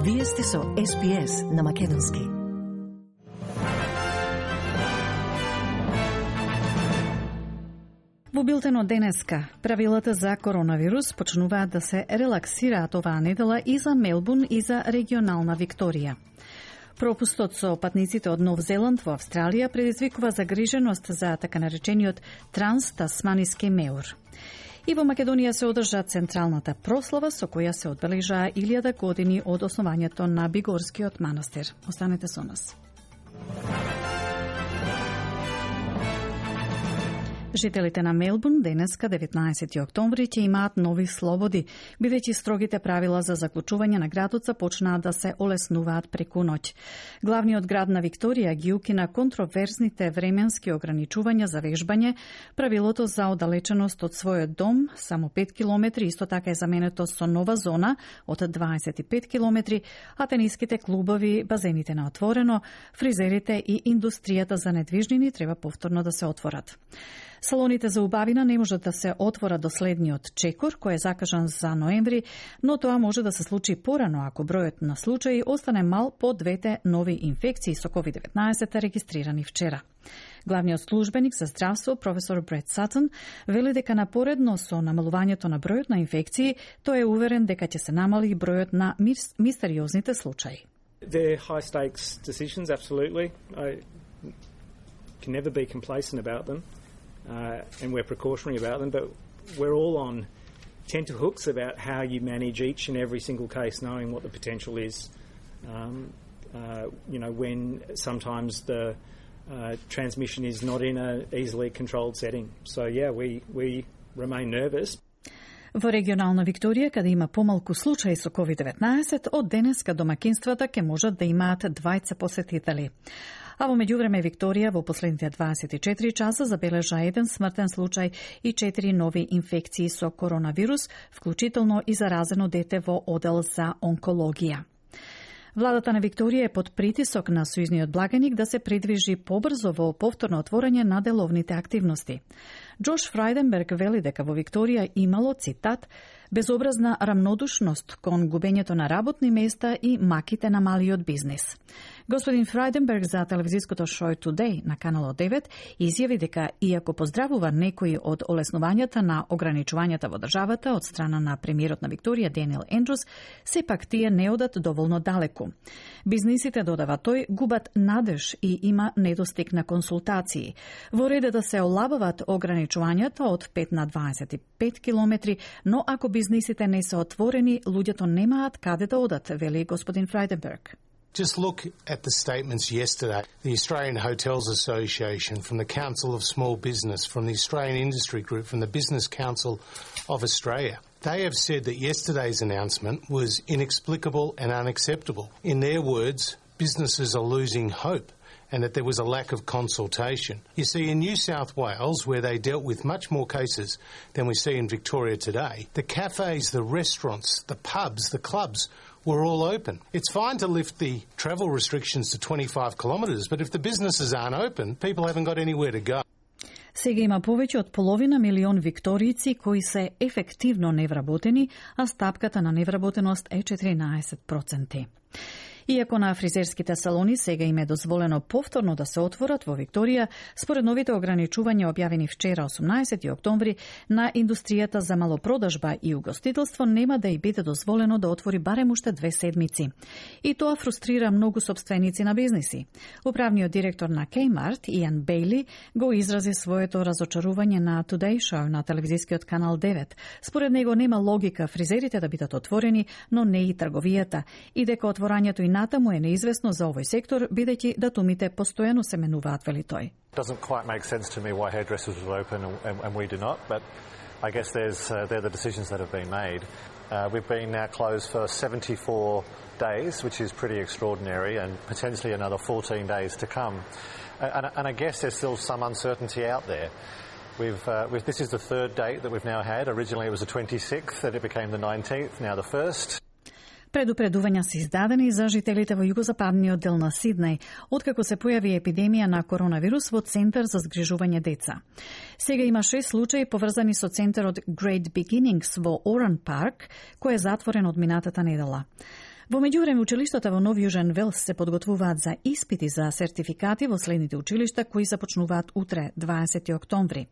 Вие сте со SBS на македонски. Во билтенот денеска, правилата за коронавирус почнуваат да се релаксираат оваа недела и за Мелбурн и за регионална Викторија. Пропустот со патниците од Нов Зеланд во Австралија предизвикува загриженост за така наречениот транс-тасманиски меур. И во Македонија се одржа централната прослава со која се одбележаа 1000 години од основањето на Бигорскиот манастир. Останете со нас. Жителите на Мелбурн денеска 19 октомври ќе имаат нови слободи, бидејќи строгите правила за заклучување на градот започнаа да се олеснуваат преку ноќ. Главниот град на Викторија ги укина контроверзните временски ограничувања за вежбање, правилото за оддалеченост од својот дом, само 5 километри, исто така е заменето со нова зона од 25 километри, а тениските клубови, базените на отворено, фризерите и индустријата за недвижнини треба повторно да се отворат. Салоните за убавина не можат да се отворат до следниот чекор, кој е закажан за ноември, но тоа може да се случи порано ако бројот на случаи остане мал по двете нови инфекции со COVID-19 регистрирани вчера. Главниот службеник за здравство, професор Брет Сатон, вели дека напоредно со намалувањето на бројот на инфекции, тој е уверен дека ќе се намали бројот на мистериозните случаи. They're high stakes decisions, absolutely. I can never be complacent about them. And we're precautionary about them, but we're all on tenterhooks about how you manage each and every single case, knowing what the potential is. When sometimes the transmission is not in an easily controlled setting. So, yeah, we remain nervous. Во регионална Викторија, каде има помалку случаи со COVID-19, од денеска домакинствата ќе можат да имаат двајца посетители. А во меѓувреме Викторија во последните 24 часа забележа еден смртен случај и 4 нови инфекции со коронавирус, вклучително и заразено дете во одел за онкологија. Владата на Викторија е под притисок на сојузниот благаник да се придвижи побрзо во повторно отворање на деловните активности. Джош Фрајденберг вели дека во Викторија имало, цитат, безобразна рамнодушност кон губењето на работни места и маките на малиот бизнис. Господин Фрајденберг за телевизиското шоу Today на каналот 9 изјави дека иако поздравува некои од олеснувањата на ограничувањата во државата од страна на премиерот на Викторија Даниел Ендрус, сепак тие не одат доволно далеку. Бизнисите, додава тој, губат надеж и има недостиг на консултации. Во ред да се олабават ограничувањата од 5 на 25 километри, но ако бизнисите не се отворени, луѓето немаат каде да одат, вели господин Фрајденберг. Just look at the statements yesterday. The Australian Hotels Association, from the Council of Small Business, from the Australian Industry Group, from the Business Council of Australia. They have said that yesterday's announcement was inexplicable and unacceptable. In their words, businesses are losing hope and that there was a lack of consultation. You see, in New South Wales, where they dealt with much more cases than we see in Victoria today, the cafes, the restaurants, the pubs, the clubs were all open. It's fine to lift the travel restrictions to 25 kilometres, but if the businesses aren't open, people haven't got anywhere to go. Сега има повеќе од половина милион викторијци кои се ефективно невработени, а стапката на невработеност е 14%. Иако на фризерските салони сега им е дозволено повторно да се отворат во Викторија, според новите ограничувања објавени вчера 18 октомври, на индустријата за малопродажба и угостителство нема да и биде дозволено да отвори барем уште 2 седмици. И тоа фрустрира многу сопственици на бизниси. Управниот директор на Kmart, Иан Бейли, го изрази своето разочарување на Today Show на телевизискиот канал 9. Според него нема логика фризерите да бидат отворени, но не и трговијата, и дека отворањето и натаму е неизвестно за овој сектор, бидејќи датумите постојано се менуваат, вели тој. Doesn't quite make sense to me why hairdressers will open and we do not, but I guess they're the decisions that have been made. We've been now closed for 74 days, which is pretty extraordinary, and potentially another 14 days to come. And I guess there's still some uncertainty out there. This is the third date that we've now had. Originally it was the 26th, then it became the 19th, now the 1st. Предупредувања се издадени за жителите во југозападниот дел на Сиднеј, откако се појави епидемија на коронавирус во Центар за згрижување деца. Сега има 6 случаи поврзани со центарот Great Beginnings во Оран Парк, кој е затворен од минатата недела. Во меѓувреме, училиштата во Нов Јужен Велс се подготвуваат за испити за сертификати во следните училишта кои започнуваат утре, 20 октомври.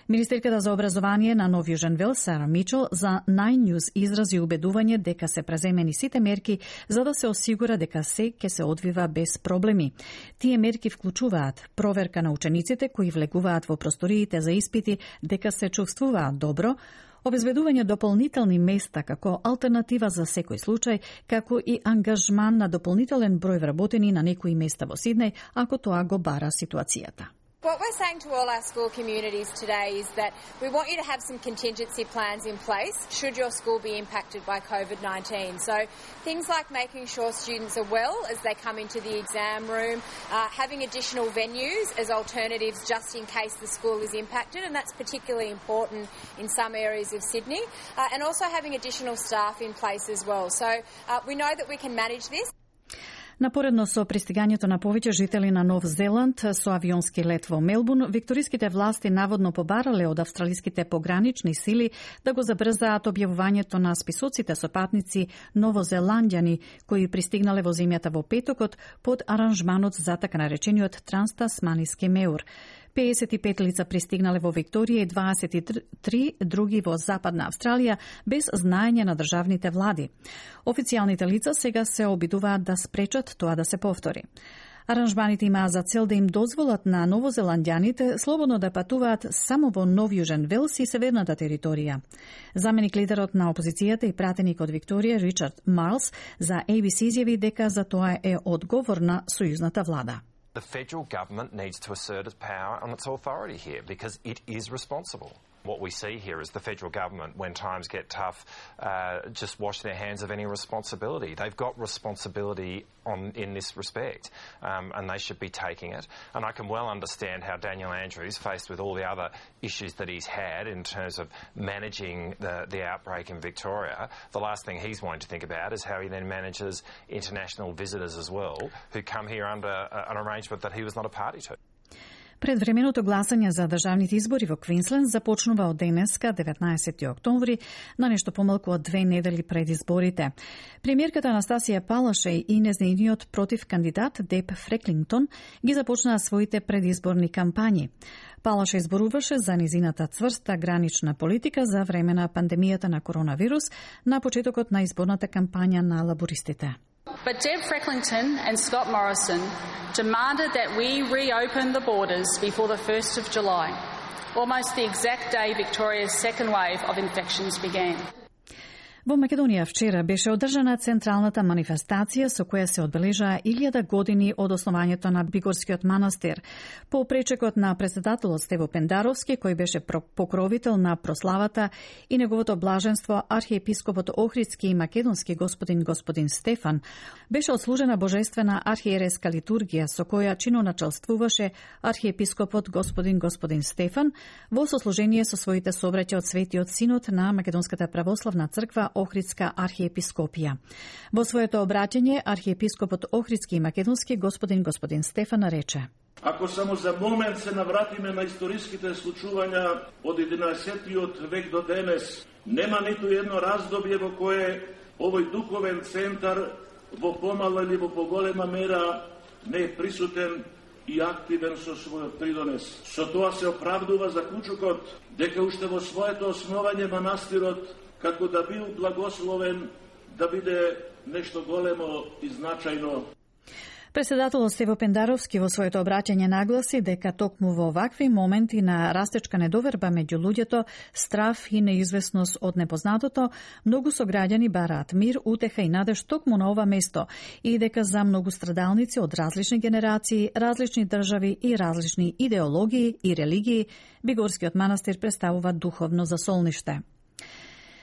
Министерката за образование на Нов Јужен Велс, Сара Мичел, за Nine News изрази убедување дека се преземени сите мерки за да се осигура дека се ќе се одвива без проблеми. Тие мерки вклучуваат проверка на учениците кои влегуваат во просториите за испити дека се чувствуваат добро, обезбедување дополнителни места како алтернатива за секој случај, како и ангажман на дополнителен број вработени на некои места во Сиднеј, ако тоа го бара ситуацијата. What we're saying to all our school communities today is that we want you to have some contingency plans in place should your school be impacted by COVID-19. So things like making sure students are well as they come into the exam room, having additional venues as alternatives just in case the school is impacted, and that's particularly important in some areas of Sydney, and also having additional staff in place as well. So we know that we can manage this. Напоредно со пристигањето на повеќе жители на Нов Зеланд со авионски лет во Мелбурн, викториските власти наводно побарале од австралиските погранични сили да го забрзаат објавувањето на списоците со патници новозеландјани кои пристигнале во земјата во петокот под аранжманот за така наречениот транстасманиски меур. 55 лица пристигнале во Викторија и 23 други во Западна Австралија без знаење на државните влади. Официјалните лица сега се обидуваат да спречат тоа да се повтори. Аранжманите имаат за цел да им дозволат на новозеландјаните слободно да патуваат само во Нов Јужен Велс и северната територија. Заменик лидерот на опозицијата и пратеник од Викторија Ричард Марлс за ABC изјави дека за тоа е одговорна сојузната влада. The federal government needs to assert its power and its authority here because it is responsible. What we see here is the federal government, when times get tough, just wash their hands of any responsibility. They've got responsibility in this respect, and they should be taking it. And I can well understand how Daniel Andrews, faced with all the other issues that he's had in terms of managing the outbreak in Victoria, the last thing he's wanting to think about is how he then manages international visitors as well, who come here under an arrangement that he was not a party to. Предвременото гласање за државните избори во Квинсленд започнува од денеска, 19 октомври, на нешто помалку од 2 недели пред изборите. Премиерката Анастасија Палашеј и нејзиниот против кандидат Деп Фреклингтон ги започнаа своите предизборни кампањи. Палашеј зборуваше за низината цврста гранична политика за време на пандемијата на коронавирус на почетокот на изборната кампања на лабористите. But Deb Frecklington and Scott Morrison demanded that we reopen the borders before the 1st of July, almost the exact day Victoria's second wave of infections began. Во Македонија вчера беше одржана централната манифестација со која се одбележаа 1000 години од основањето на Бигорскиот манастир. По пречекот на председателот Стево Пендаровски, кој беше покровител на прославата, и неговото блаженство архиепископот Охридски и македонски господин Стефан, беше отслужена божествена архиереска литургија со која чиноначалствуваше архиепископот господин Стефан во сослужение со своите собраќа од Светиот Синод на Македонската православна црква Охридска архиепископија. Во своето обраќање, архиепископот Охридски и македонски господин Стефан рече: Ако само за момент се навратиме на историските случувања од 11-тиот век до денес, нема ниту едно раздобје во кое овој духовен центар во помала или во поголема мера не е присутен и активен со својот придонес. Со тоа се оправдува заклучокот дека уште во своето основање манастирот како да бил благословен да биде нешто големо и значајно. Председателот Стево Пендаровски во своето обраќање нагласи дека токму во овакви моменти на растечка недоверба меѓу луѓето, страф и неизвестност од непознатото, многу сограѓани бараат мир, утеха и надеж токму на ова место и дека за многу страдалници од различни генерации, различни држави и различни идеологии и религии, Бигорскиот манастир представува духовно засолниште.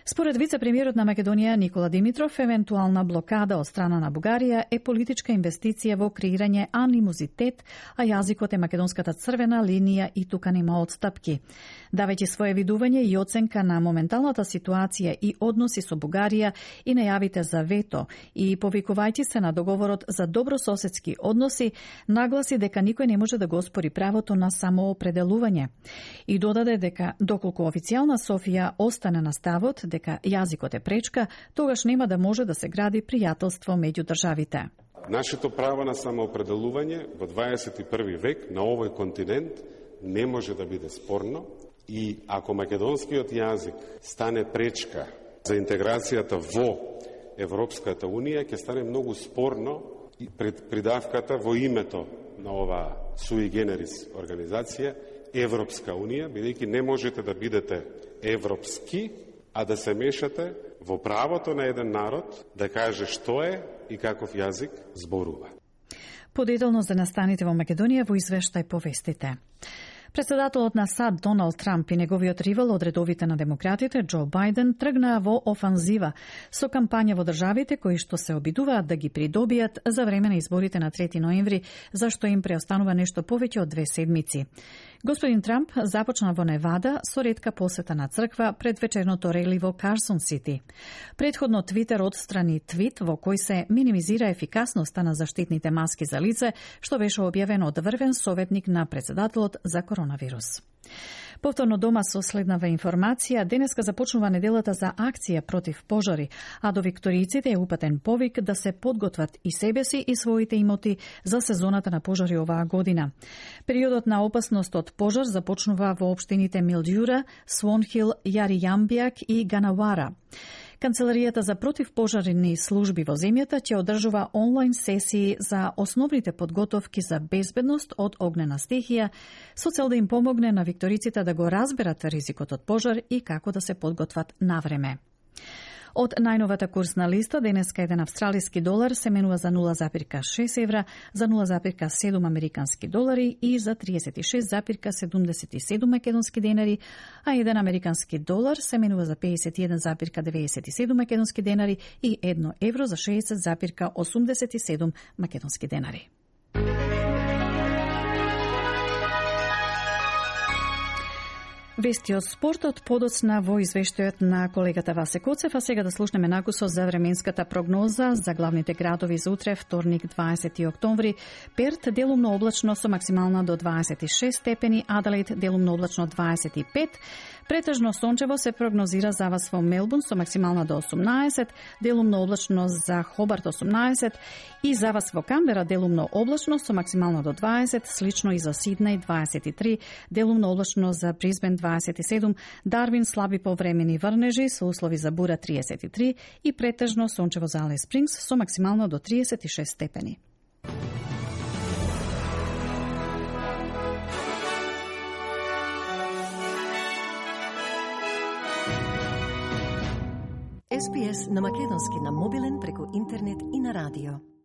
Според вице-премиерот на Македонија Никола Димитров, евентуална блокада од страна на Бугарија е политичка инвестиција во креирање анимозитет, а јазикот е македонската црвена линија и тука нема отстапки. Давајќи свое видување и оценка на моменталната ситуација и односи со Бугарија и најавите за вето и повикувајќи се на договорот за добрососедски односи, нагласи дека никој не може да го оспори правото на самоопределување. И додаде дека доколку официјална Софија остане на ставот дека јазикот е пречка, тогаш нема да може да се гради пријателство меѓу државите. Нашето право на самоопределување во 21. век на овој континент не може да биде спорно и ако македонскиот јазик стане пречка за интеграцијата во Европската Унија, ќе стане многу спорно и придавката во името на оваа sui generis организација Европска Унија, бидејќи не можете да бидете европски, а да се мешате во правото на еден народ да каже што е и каков јазик зборува. Подетално за настаните во Македонија во извештај повестите. Председателот на САД Доналд Трамп и неговиот ривал од редовите на демократите Џо Бајден тргнаа во офанзива со кампања во државите кои што се обидуваат да ги придобијат за време на изборите на 3 ноември, зашто им преостанува нешто повеќе од 2 седмици. Господин Трамп започна во Невада со ретка посета на црква пред вечерното рели во Карсон Сити. Предходно Твитер отстрани твит во кој се минимизира ефикасноста на заштитните маски за лице, што беше објавено од врвен советник на председателот за коронавирус. Повторно дома со следнава информација, денеска започнува неделата за акција против пожари, а до викторијците е упатен повик да се подготват и себе си и своите имоти за сезоната на пожари оваа година. Периодот на опасност од пожар започнува во општините Милдјура, Свонхил, Јаријамбијак и Ганавара. Канцеларијата за противпожарни служби во земјата ќе одржува онлайн сесии за основните подготовки за безбедност од огнена стихија, со цел да им помогне на викториците да го разберат ризикот од пожар и како да се подготват навреме. Од најновата курсна листа, денеска еден австралиски долар се менува за 0,6 евра, за 0,7 американски долари и за 36,77 македонски денари, а еден американски долар се менува за 51,97 македонски денари и 1 евро за 60,87 македонски денари. Вести од спортот подоцна во извештајот на колегата Васе Коцев, а сега да слушнеме накусо за временската прогноза за главните градови за утре, вторник 20 октомври. Перт делумно облачно со максимална до 26 степени, Аделаид делумно облачно 25, претежно сончево се прогнозира за вас во Мелбурн со максимална до 18, делумно облачно за Хобарт 18 и за вас во Камбера делумно облачно со максимална до 20, слично и за Сиднеј 23, делумно облачно за Брисбен 27, Дарвин слаби повремени врнежи со услови за бура 33 и претежно сончево за Алис Спрингс со максимално до 36 степени. SPS на македонски на мобилен преку интернет и на радио.